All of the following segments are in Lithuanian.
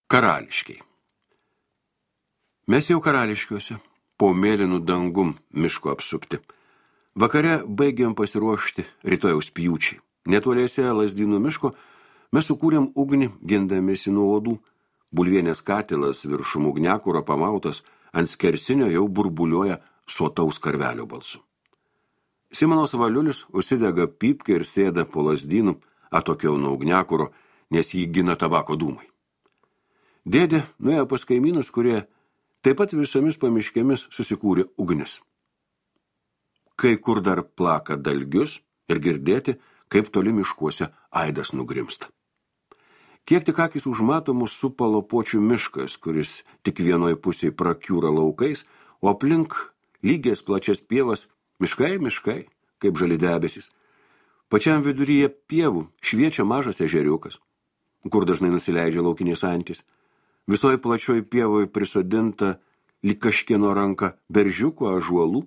Karališkiai. Mes jau karališkiuose, po mėlynų dangum miško apsupti. Vakare baigėm pasiruošti rytojaus pjūčiai. Netoliese Lazdynų miško mes sukūrėm ugnį, gindamiesi nuo uodų. Bulvienės katilas viršum ugniakuro pamautas ant skersinio jau burbuliuoja sotaus karvelio balsu. Simonas Valiulis užsidega pypkę ir sėda po Lazdynų, atokiau nuo ugniakuro, nes jį gina tabako dūmai. Dėdė nuėjo pas kaimynus, kurie taip pat visomis pamiškėmis susikūrė ugnis. Kai kur dar plaka dalgius ir girdėti, kaip toli miškuose aidas nugrimsta. Kiek tik akis užmato mus supa Lopočių miškas, kuris tik vienoj pusėje prakiūra laukais, o aplink lygias plačias pievas miškai, kaip žali debesis. Pačiam viduryje pievų šviečia mažas ežeriukas, kur dažnai nusileidžia laukinės antys. Visoje plačioje pievoje prisodinta lyg kažkieno ranka beržiuko ąžuolų,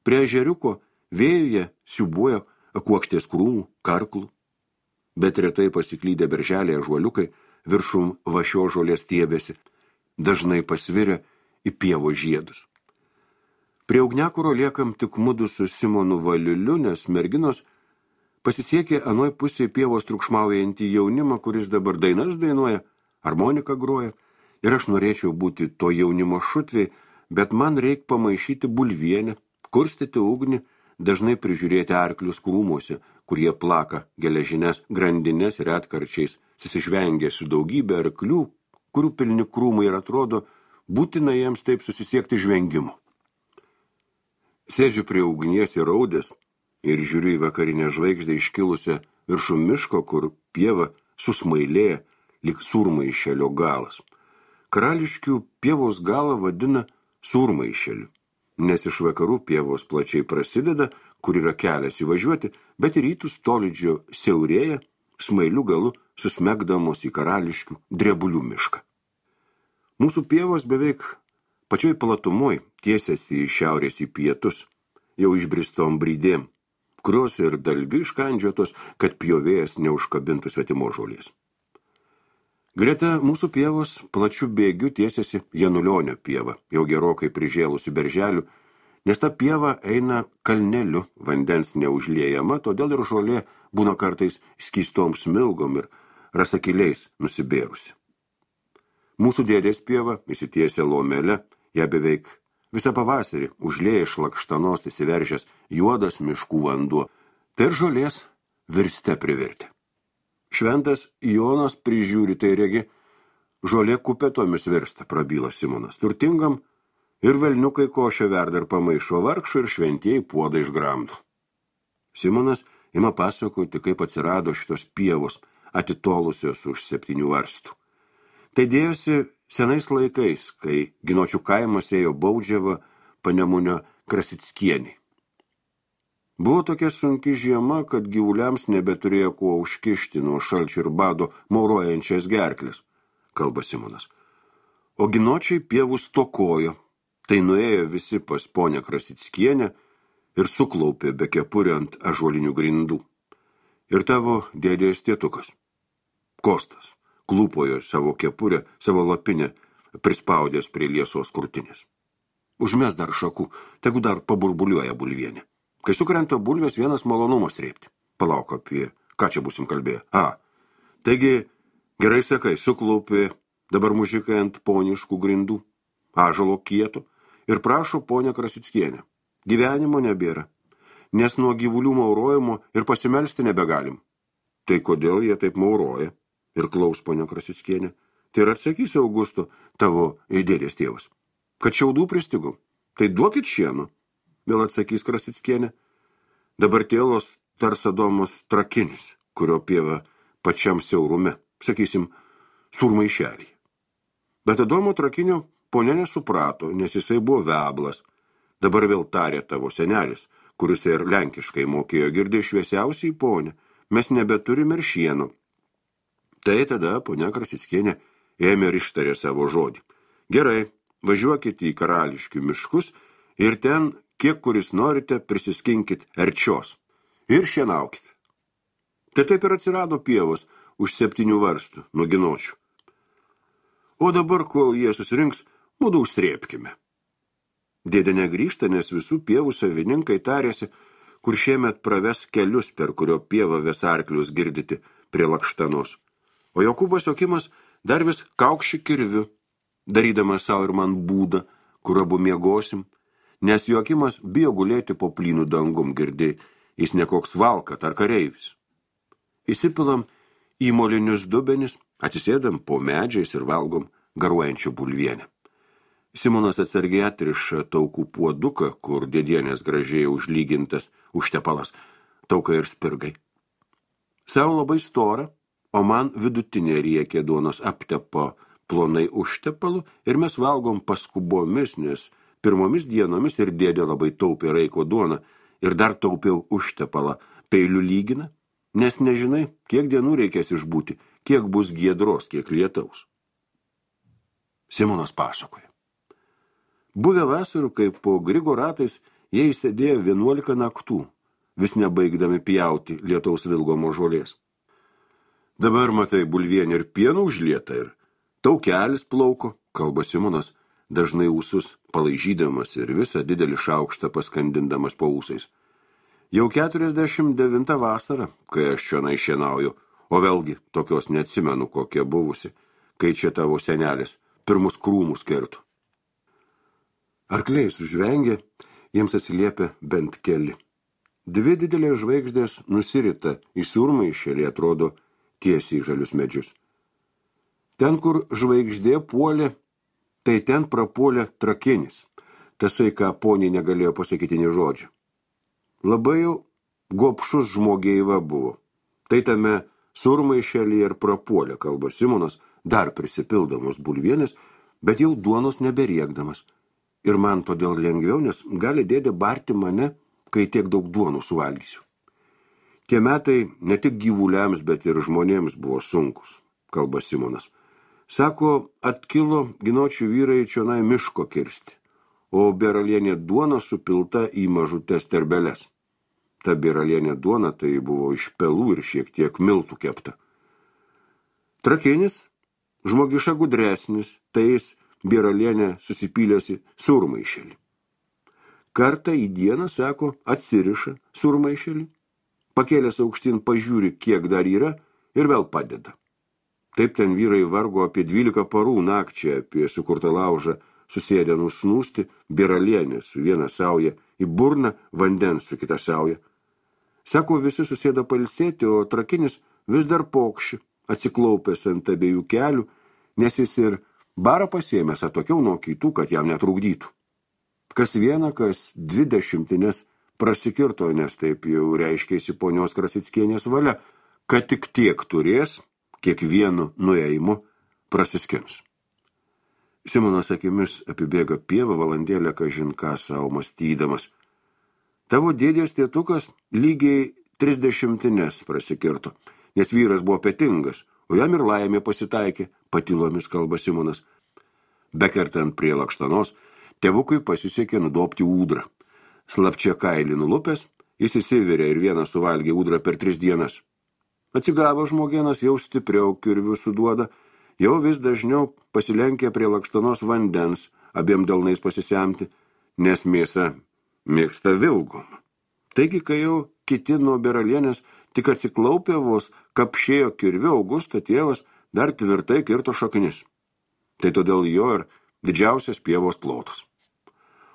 prie ežeriuko vėjuje siūbuoja kuokštės krūmų, karklų. Bet retai pasiklydę berželiai ąžuoliukai viršum vašio žolės stiebėsi, dažnai pasviria į pievo žiedus. Prie ugniakuro liekam tik mudu su Simonu Valiuliu, nes merginos pasisiekė anoj pusėje pievos triukšmaujantį jaunimą, kuris dabar dainas dainuoja, harmoniką groja. Ir aš norėčiau būti to jaunimo šutvei, bet man reik pamaišyti bulvienę, kurstyti ugnį, dažnai prižiūrėti arklius krūmuose, kurie plaka geležines grandines ir atkarčiais susižvengia su daugybė arklių, kurių pilni krūmai ir atrodo būtina jiems taip susisiekti žvengimu. Sėdžiu prie ugnies ir raudės ir žiūriu į vakarinę žvaigždę iškilusią viršum miško, kur pieva susmailėja lyg surmaišelio galas. Karališkių pievos galą vadina surmaišeliu, nes iš vakarų pievos plačiai prasideda, kur yra kelias įvažiuoti, bet į rytus tolydžio siaurėja, smailių galu susmegdamos į Karališkių drebulių mišką. Mūsų pievos beveik pačioj platumoj tiesiasi iš šiaurės į pietus, jau išbristom brydėm, kurios ir dalgiu iškandžiotos, kad pjovėjas neužkabintų svetimo žolės. Greta mūsų pievos plačių bėgių tiesiasi Janulionio pieva, jau gerokai prižėlusi berželių, nes ta pieva eina kalneliu, vandens neužliejama, todėl ir žolė būna kartais skystom smilgom ir rasakiliais nusibėrusi. Mūsų dėdės pieva įsitiesia lomele, ją beveik visą pavasarį užlieja iš lakštanos įsiveržęs juodas miškų vanduo, tai ir žolės virste privirtė. Šventas Jonas prižiūri, tai regi, žolė kupetomis virsta, prabyla Simonas. Turtingam ir velniukai košę verda ir pamaišo, vargšų ir šventieji puodą išgramdo. Simonas ima pasakoti, kaip atsirado šitos pievos, atitolusios už 7 varstų. Tai dėjosi senais laikais, kai Ginočių kaimas ėjo Baudžiava Panemunio Krasickienį. Buvo tokia sunki žiema, kad gyvuliams nebeturėjo kuo užkišti nuo šalčio ir bado maurojančias gerklės, kalba Simonas. O Ginočiai pievų stokojo, tai nuėjo visi pas ponę Krasickienę ir suklaupė be kepurę ant ąžuolinių grindų. Ir tavo dėdės tėtukas, Kostas, klūpojo savo kepurę, savo lapinę, prispaudęs prie liesos krūtinės. Užmes dar šakų, tegu dar paburbuliuoja bulvienė. Kai sukrenta bulvės, vienas malonumas rėpti. Palauk, apie ką čia būsim kalbėję. Taigi, gerai sakai, suklaupė dabar mužikai ant poniškų grindų, ąžuolo kieto, ir prašo ponę Krasickienę. Gyvenimo nebėra, nes nuo gyvulių maurojimo ir pasimelsti nebegalim. Tai kodėl jie taip mauroja? Ir klaus ponę Krasickienę. Tai ir atsakys Augusto, tavo dėdės tėvas. Kad šiaudų pristigom, tai duokit šieno. Vėl atsakys Krasickienė. Dabar tėlos tarsadomos trakinis, kurio pieva pačiam siaurume, sakysim, surmaišelį. Bet Adomo trakinio ponė nesuprato, nes jisai buvo veblas. Dabar vėl tarė tavo senelis, kuris ir lenkiškai mokėjo, girdė šviesiausiai ponė, mes nebeturime ir šieno. Tai tada ponia Krasickienė ėmė ir ištarė savo žodį. Gerai, važiuokite į Karališkių miškus ir ten kiek kuris norite, prisiskinkit erčios ir šienaukit. Tai taip ir atsirado pievos už 7 varstų nuo Ginočių. O dabar, kol jie susirinks, mudu užsrėpkime. Dėdė negrįžta, nes visų pievų savininkai tarėsi, kur šiemet praves kelius, per kurio pievą ves arklius girdyti prie Lakštanos. O Jokūbas Jokimas dar vis kaukši kirviu, darydamas savo ir man būdą, kur abu miegosim, nes Jokimas bijo gulėti po plynų dangum, girdėjai, jis nekoks valkat ar kareivis. Įsipilam į molinius dubenis, atsisėdam po medžiais ir valgom garuojančią bulvienę. Simonas atsargiai atriša taukų puoduką, kur dėdienės gražiai užlygintas užtepalas, tauka ir spirgai. Sau labai stora, o man vidutinė riekė duonos aptepo plonai užtepalu ir mes valgom paskubomis, nes pirmomis dienomis ir dėdė labai taupė raiko duoną ir dar taupiau užtepalą peilių lygina, nes nežinai, kiek dienų reikės išbūti, kiek bus giedros, kiek lietaus. Simonas pasakoja. Buvę vasarų, kaip po Grigo ratais, jie įsėdėjo 11 naktų, vis nebaigdami pjauti lietaus vilgomo žolės. Dabar matai bulvienį ir pienų užlieta ir taukelis plauko, kalba Simonas, dažnai ūsus palaižydamas ir visą didelį šaukštą paskandindamas po ūsais. Jau 49 vasara, kai aš čionai šienauju, o vėlgi tokios neatsimenu, kokia buvusi, kai čia tavo senelis pirmus krūmus kertų. Arkliai sužvengė, jiems atsiliepia bent keli. Dvi didelės žvaigždės nusirita į surmaišelį, atrodo tiesiai į žalius medžius. Ten, kur žvaigždė puolė, tai ten prapuolė trakinis, tasai, ką poniai negalėjo pasakyti nė žodžio. Labai jau gobšus žmogeiva buvo. Tai tame surmaišelį ir prapuolė, kalba Simonas, dar prisipildamos bulvienės, bet jau duonos neberiekdamas. Ir man todėl lengviau, nes gali dėdė barti mane, kai tiek daug duonų suvalgysiu. Tie metai ne tik gyvuliams, bet ir žmonėms buvo sunkus, kalba Simonas. Sako, atkilo ginočių vyrai čionai miško kirsti, o beralienė duona supilta į mažutes terbeles. Ta beralienė duona tai buvo iš pelų ir šiek tiek miltų kepta. Trakinis, žmogiša gudresnis, tai jis beralienė susipylėsi surmaišelį. Kartą į dieną, sako, atsiriša surmaišelį, pakėlęs aukštyn pažiūri, kiek dar yra ir vėl padeda. Taip ten vyrai vargo apie 12 parų nakčią, apie sukurtą laužą, susėdę nusnūsti, beralienė su viena sauja, į burną vandens su kita sauja. Sako, visi susėda pailsėti, o trakinis vis dar pokši, atsiklaupęs ant abiejų kelių, nes jis ir barą pasiėmęs atokiau nuo kitų, kad jam netrukdytų. Kas vieną, kas 20 prasikirto, nes taip jau reiškėsi ponios Krasickienės valia, kad tik tiek turės, kiekvienu nuėjimu prasiskins. Simonas akimis apibėga pievą valandėlę, kažin ką savo mąstydamas. Tavo dėdės tėtukas lygiai 30 prasikirto, nes vyras buvo petingas, o jam ir laimė pasitaikė, patylomis kalba Simonas. Bekertant prie Lakštanos, tėvukui pasisekė nudobti ūdrą. Slapčia kailį nulupęs, jis įsivirė ir vieną suvalgė ūdrą per 3 dienas. Atsigavo žmogienas, jau stipriau kirvių suduoda, jau vis dažniau pasilenkė prie Lakštanos vandens, abiem delnais pasisemti, nes mėsa mėgsta vilgom. Taigi, kai jau kiti nuo beralienės tik atsiklaupė vos, kapšėjo kirviu, Augusto tėvas dar tvirtai kirto šaknis. Tai todėl jo ir didžiausias pievos plotas.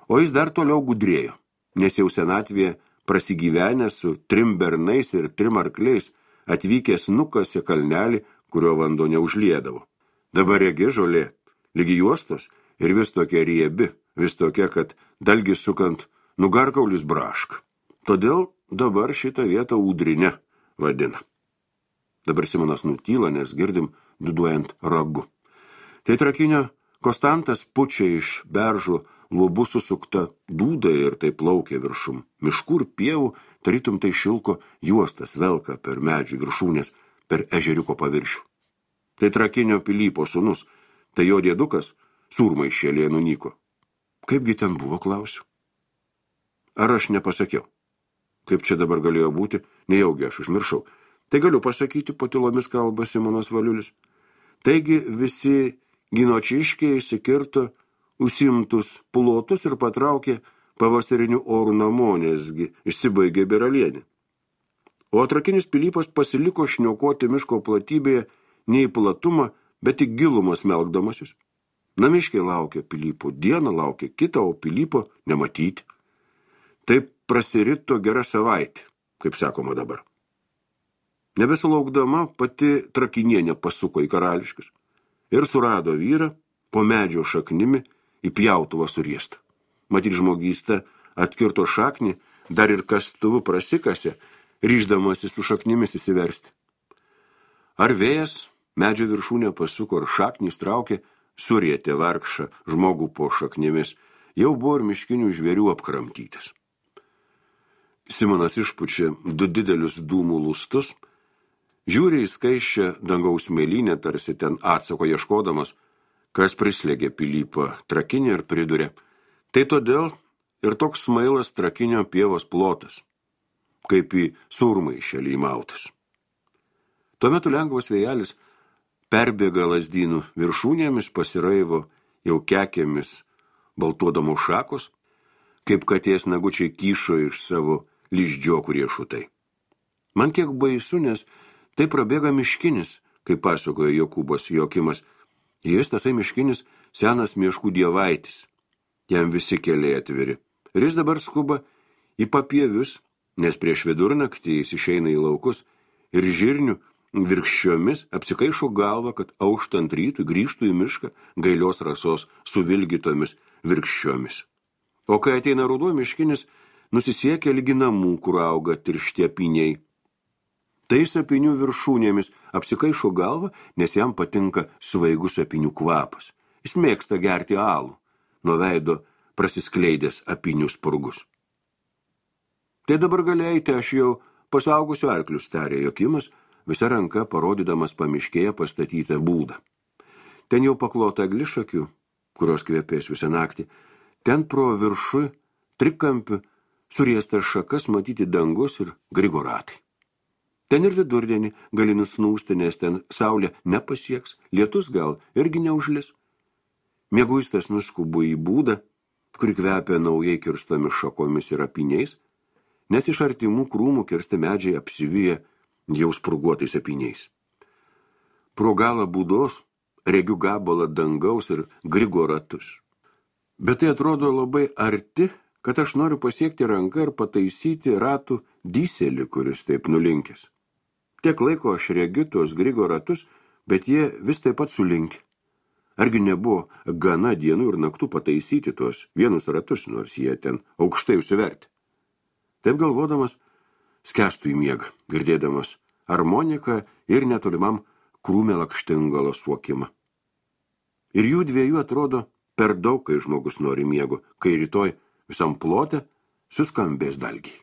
O jis dar toliau gudrėjo, nes jau senatvėje prasigyvenęs su 3 bernais ir 3 arkliais atvykęs nukasė kalnelį, kurio vanduo neužliedavo. Dabar regi žolė, lygi juostos ir vis tokia riebi, vis tokia, kad dalgis sukant nugarkaulis brašk. Todėl dabar šitą vietą ūdrinę vadina. Dabar Simonas nutyla, nes girdim duduojant ragu. Tai trakinio Konstantas pučia iš beržų lubų susukta dūda ir tai plaukia viršum. Miškų ir pievų, tarytum tai šilko juostas velka per medžių viršūnės, per ežeriuko paviršių. Tai trakinio Pilypo sūnus, tai jo dėdukas surmaišėlėje nunyko. Kaipgi ten buvo, klausiu? Ar aš nepasakiau? Kaip čia dabar galėjo būti, nejaugi aš užmiršau. Tai galiu pasakyti, patylomis kalba Simonas Valiulis. Taigi visi Ginočiškiai įsikirto užsimtus plotus ir patraukė pavasarinių orų namo, nesgi išsibaigė beralienė. O atrakinis Pilypas pasiliko šniokoti miško platybėje ne į platumą, bet į gilumą smelkdamasis. Namiškiai laukia Pilypo, dieną laukia kitą, o Pilypo nematyti. Taip prasirito gera savaitė, kaip sakoma dabar. Nebesulaukdama pati Trakinienė pasuko į Karališkius ir surado vyrą po medžio šaknimi į pjautuvą suriestą. Matyt, žmogystė atkirto šaknį, dar ir kastuvu prasikasė, ryždamasi su šaknimis įsiversti. Ar vėjas medžio viršūnė pasuko, ar šaknys traukė, surietė vargšą žmogų po šaknimis, jau buvo ir miškinių žvėrių apkramtytas. Simonas išpučia 2 didelius dūmų lustus, žiūri į skaisčią dangaus mėlynę, tarsi ten atsako ieškodamas, kas prislėgė Pilypą Trakinį ir pridurė. Tai todėl ir toks smailas Trakinio pievos plotas, kaip į surmaišelį įmautas. Tuo metu lengvas vėjelis perbėga lazdynų viršūnėmis, pasiraivo jau kekėmis baltuodamos šakos, kaip katės nagučiai kyšo iš savo liždžiokų riešutai. Man kiek baisu, nes tai prabėga miškinis, kaip pasakojo Jokūbas Jokimas. Jis, tasai miškinis, senas mieškų dievaitis. Jam visi keliai atviri. Ir jis dabar skuba į papievius, nes prieš vidurnaktį jis išeina į laukus ir žirnių virkščiomis apsikaišo galvą, kad auštant rytui grįžtų į mišką gailios rasos suvilgytomis virkščiomis. O kai ateina ruduo, miškinis nusisiekia lygi namų, kur auga tiršti apyniai. Tais apynių viršūnėmis apsikaišo galvą, nes jam patinka svaigus apynių kvapas. Jis mėgsta gerti alų, nuo veido prasiskleidęs apynių spurgus. Tai dabar galėjate, aš jau pasaugusiu arklius, tarė Jokimas, visa ranka parodydamas pamiškėje pastatytą būdą. Ten jau paklota eglišakių, kurios kvepės visą naktį, ten pro viršų trikampių suriestas šakas matyti dangus ir grigoratai. Ten ir vidurdienį gali nusnūsti, nes ten saulė nepasieks, lietus gal irgi neužlis. Mieguistas nuskubo į būdą, kuri kvepia naujai kirstomis šakomis ir apyniais, nes iš artimų krūmų kirsti medžiai apsivyja jau spurguotais apyniais. Pro galą būdos regiu gabalą dangaus ir grigoratus. Bet tai atrodo labai arti, kad aš noriu pasiekti ranką ir pataisyti ratų dyselį, kuris taip nulinkęs. Tiek laiko aš regiu tuos grigoratus, bet jie vis taip pat sulinkę. Argi nebuvo gana dienų ir naktų pataisyti tuos vienus ratus, nors jie ten aukštai užsiverti. Taip galvodamas, skęstų į miegą, girdėdamas harmoniką ir netolimam krūmė lakštingalo suokimą. Ir jų dviejų atrodo per daug, kai žmogus nori miego, kai rytoj visam plote suskambės dalgiai.